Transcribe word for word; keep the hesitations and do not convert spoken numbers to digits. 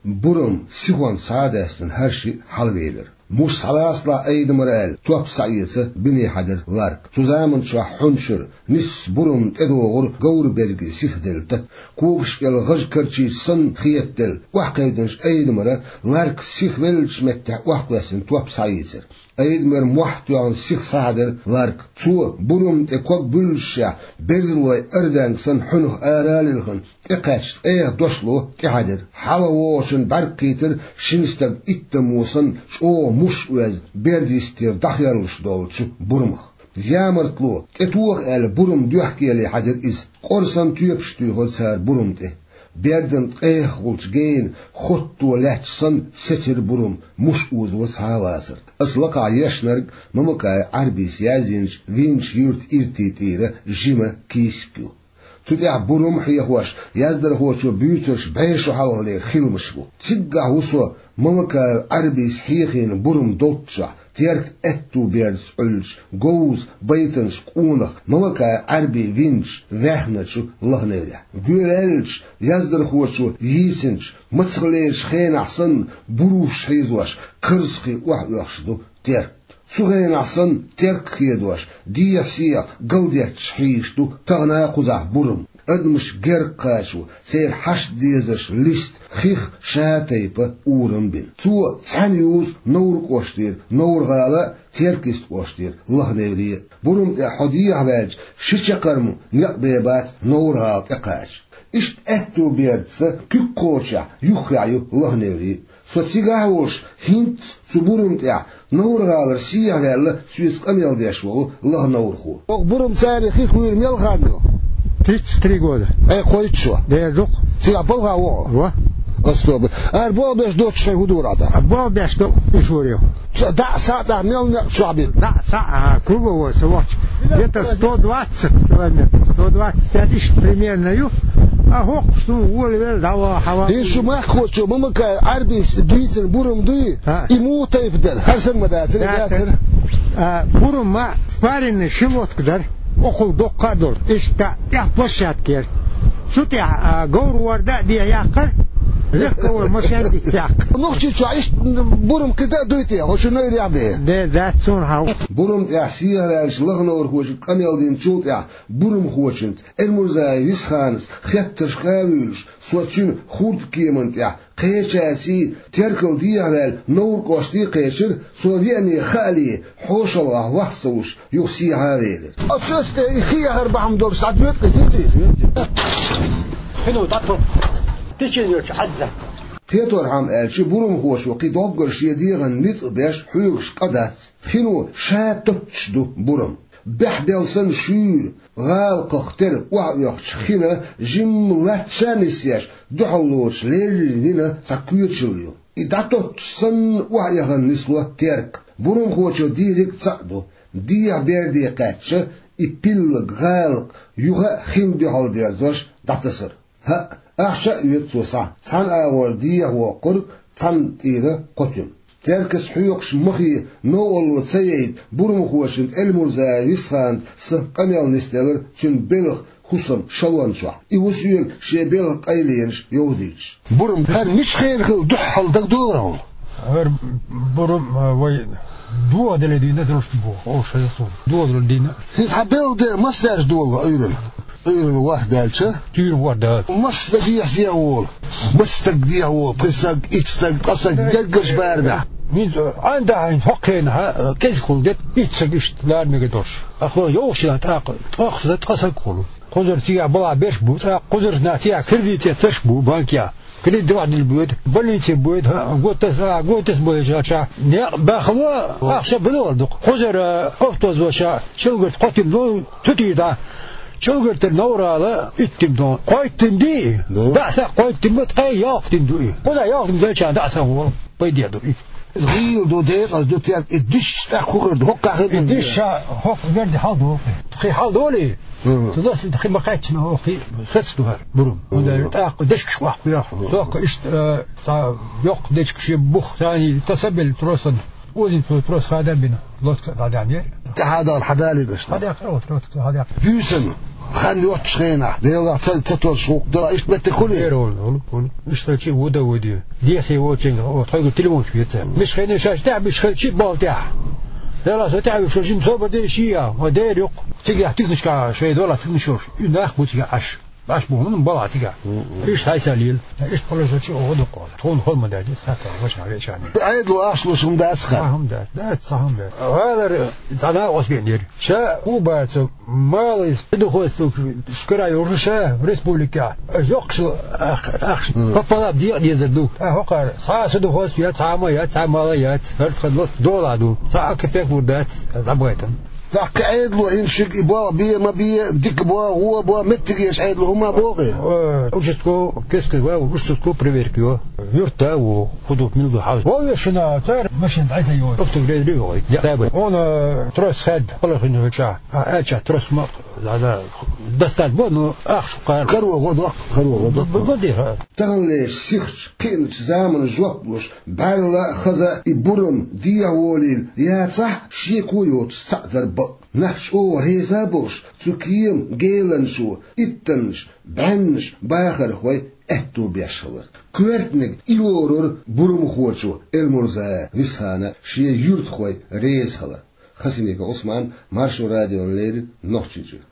Бурам сихонца схьа а даьстина, хӀара шиъ хьалавелира. Муш схьалацалахь, Айдамар, аьлла, топ схьаэца бине хьаьдира Ларк. Цу заманчохь хьуна шура нисса бурам тӀедогӀура говран берге сиха делла тата. Когаш кӀел гӀаж карчийча санна хетаделла, охьакхевдинчу Айдамара Ларк сиха веллачу меттехь охьакхоьссина топ схьаийцира. Айдамар мохь а тоьхна сиха схьахьаьдира Ларк. Цо, бурам тӀе ког буьллушехь, берзалой арданга санна хьуьнах ара а лилхина, тӀекхаьчча, ткъех дошло тӀехьаьдира. ХьалавогӀучун бӀаьрг кхийтира шина стаг иттаммо санна чӀогӀа муш а оьзна, берд йистера дӀахоьллуш долчу бурамах. Ямартло, тӀетоха аьлла, бурам доьхкеле хьаьдира иза. Къора санна тоьпаш туьйхира цара бурам тӀе. Бердан ткъех гӀулчу гена, хотто лаьтташ санна, сецира бурам, муш озо схьа а вацара. Аса лакхахь ешнарг Мамакаев Ӏарбис яздинчу «Винчу юьртан иртин тӀера жима» кийсак ю. Цу тӀехь бурам а хьехош, яздархочо буьйцурш бӀе шо хьалхалера хиламаш бу. Циггахь ву со Мамакаев Ӏарбис хьехийна бурам долччохь, Теркан аьтту бердаш Ӏуьллучу говза байтанаш къонах Мамакаев Ӏарби винчу ваьхначу лаханеврехь. Гоьваьллачу яздархочо йийцинчу мацахлерачу хенахь санна, буруш хьийзош, карзахе охьаоьхуш ду Терк. Цу хенахь санна, Терк хедош, дехьа-сехьа галдетташ хьийзаш ду тахана а кхузахь бурам. Адамаш герга кхачо, церан хьашт дезарш листа, хих ша тайпа урам бина. Цо цхьаьна юзу Новр кӀоштера Новр-гӀала а, Теркист кӀоштера лаханевре а. Бурам тӀехь хьо дехьаваьлча, ши чаккхарма некъ бен бац Новр-гӀала тӀекхача. Иштта аьтту бердаца куьг кхочехь юххехь ю лаханевре а. Со цигахь а волуш, хӀинцца цу бурам тӀехь Новр-гӀалара сехьаваьлла соьца къамел деш волу лаха новрхо. Оха бурам царна хих вуьйр мел хан ю? Тридцать три года. Ткъе кхойтта шо? Дера ду-кх. Цигахь балха ву хьо? Во. Ас тоба. Ара болх беш доцуш хьайн хӀун дора Ӏа тӀаккха? Болх беш ду и шуьйра. Ца дӀа а, схьа а тӀаккха мел некъ чохь бина? ДӀа а, схьа а, круговой со вахча. Где-то сто двадцать километров, сто двадцать пять иштта примерно ю. А хӀокхуш ду, волавелла, дӀаваха, хьаваха. Шу махкахочо Мамакаев Ӏарбис дийцина бурам дуй? А. И муха тайпа дара? ХӀара санна ма дацара, дацара. Дацара. А, бурам ма спаренный ши лодка дара. Окхул доккха а долу. Иштта тӀехь площадка яра. Цу тӀехь, а, говр ворда а дехьа яккхара, легковой машен дитта яккха. Нохчийчохь иштта бурам кхин дан а дуй те, хӀо шу Новрех бен? Де, дац суна хьан. Бурам тӀехь сехьаваьллачу лаха новрхочуьнга къамел динчул тӀаьхьа бурамхочуьнца Эльмурзаев Висханца хеттаршка а вуьйлуш, со цуьнан хурдкеман тӀехь кхечаьрций, Теркал дехьаваьлла, Новр кӀоштий кхечира, со веане хаале, хьошалгӀахь вахца луш, юха сехьа а велира. Оцу цӀе тӀе и хи яхар бахьана долуш схьадоьду-кх иза, хӀинца? Хино, дӀатоху. Тичина йоцу Ӏадда. Кхеторхьама аьлча, бурамхочо кхин доггара шен дегӀан ницкъ беш хьоьгуш къа дац. Хино ша тоттуш ду бурам. Бехбелла санна шуьйра, гӀалакхах тера охьаоьхучу хина жимма латта ша нисъеш, дуьхьал лоцуш леррина цхьа коьчалла ю. И дӀатоттуш санна охьаэхна нисло Терк. Бурамхочо дийриг цхьаъ ду, дехьа берде кхаьчча, и пиллаг гӀалакх юха а хин дуьхьал дерзош дӀатасар. ХӀаъ, ахча а оьцу цо схьа, цхьана агӀор дехьа воккхург, цхьана тӀера кхо туьма. Теркас хьоькхуш махе новкъарло ца яйта, бурамхочуьнца Эльмурзаев Висханца къамел нисделира цуьнан белхан хӀусам шалон чохь. И ву соьга шен белхан къайленаш йовзуьйтуш. Бурам хӀара мича хенахь хилла дуьххьал дагадогӀий хьуна? ХӀара бурам, а, вай дохадале дийна долуш бу, оха шайн суна. Дохадале дийна. ХӀинца хьан белхан ден маса даьржа долу Ӏуьйранна? Ӏуьйранна ворхӀ даьлча? Ӏуьйранна ворхӀ даьлча. Маса стаг дехьа волу? Маса стаг дехьа волу? Пхи стаг, итт стаг, ткъа стаг, деггаш барамехь. ХӀинца Ӏан дахьа хӀокху хенахь кӀезиг хуьлу дерг, итт стаг иштта лара мегар долуш. Ахло йовхаш тӀаккха, тӀаккха ткъа стаг хуьлу. Кхузара цигахь балахь берш бу, тӀаккха кхузара нах цигахь кредит эцарш бу банкехь. Кредит дохьа дина боьду, больнице боьду, хӀаъ, готас, а, готас болчу аьлча. Некъ бахало, ахча бадогӀар ду-кх. Кхузара, а, хӀофтозоча, Чилгарта кхо туьма ду, цу тӀера дӀа. Чилгартара Новр-гӀала итт туьма ду. Кхойтта туьма ду и? Ду. ДӀа а схьа кхойтта туьма, ткъе ялх туьма ду и. Кхузахь ялх туьма делча дӀа а схьа волу. Пайде ду и. ГӀийла ду, декъаза ду, Терк, и дишча тӀаккха хӀун хир ду? ХӀокху кхахир ду. И диш ша, хӀокху верди хьал ду. Тхи хьал долий? Мгм. Ту дас тхи ма кхаьччина, хӀокху сац ду хӀара бурам. Мгм. ХӀунда тӀаккха дечкаш охьакхоьхьу. Мгм. Тохка иштта, э, цхьа йоккха дечкаш е бух, царний тасабелла тросан. Озин цо трос хада бина, лодка дӀадаьхьнера. ТӀаьхьа дала хьадалийна аша? Хьадаьхкира, вот, вот, хьадаьхкира. Буьйсанна. Хан йоццуш хенахь, Делахь ца, ца тосуш гӀуллакх дан, иштта меттиг хуьлий? Эр волу, волу, волу. Иштта хилча а ву дан ву де. Дехьа воцу хенахь, тхоьга телефончик веца. Миша хенахь шаьш тӀехь, миша хилча а болу тӀехь. Делахь со тӀехь вуьйцуш, жима собар де шиъ а, ма дера юккъе. Цигахь туьхнашка шайн долахь туьхнаш йолуш. И нах бу цигахь Ӏаш. Ӏаш бу хӀума балахь цигахь. Мгм. Иштта хьайса лела. Иштта кхоллар со чу оха дуккхо. Тхуна хол ма даьдис, хатта, вачхьа веча. Ӏедало ахча луш хӀума дац хан. Сан хӀума дац, дац, сан хӀума дац. ГӀалара цхьа накъост веана яра. Ша хӀун бара цо? Малый садоводство шкара йолуш ша республикехь. Йоккхуш ахча, ахча. Мгм. Пополам декъа дезар ду. Ткъа хӀокхара цхьа а садоводство яц, цхьа а ма яц, цхьа а мала яц. ХӀара тхан ласт долахь ду. Цхьа а капек лур дац, дӀабайтан. ТӀаккха Ӏедало хӀинца шиъ и болх бе, ма бе, дика бо, вон бо, меттигерчу Ӏедало хӀума бохий? Э, участковый, кескай вай, участковый проверка йо. Юрта а ву, хӀун ду, мила ду хьал. Вовшашна, цара машина дӀасайо. Офтув лерри вогӀий. Я, дай бай. Вон, э, трос хед, палахина хӀуьтча. А, аьлча, трос ма, да, да, достать бо, ну, ахча кхара. Каро гӀо доккху, каро гӀо доккху. Бо, бо, диха. Таханлерчу сихачу, кхиъначу заманан жоп луш, бӀаьрла а хаза а и бурам дехьа волийла яцахь, шеко йоцуш цхьаъ дар бакъ. Нах чӀогӀа реза а болуш, цу кема геланчо иттаннаш, бӀеннаш бахархой аьтто беш хилар. Коьртаниг и лорура бурамхочо Элмурзаев Висхана шен юьртахой реза хилар. Хасимиков Ӏусман, Маршо радиона леррина, Нохчийчуьра.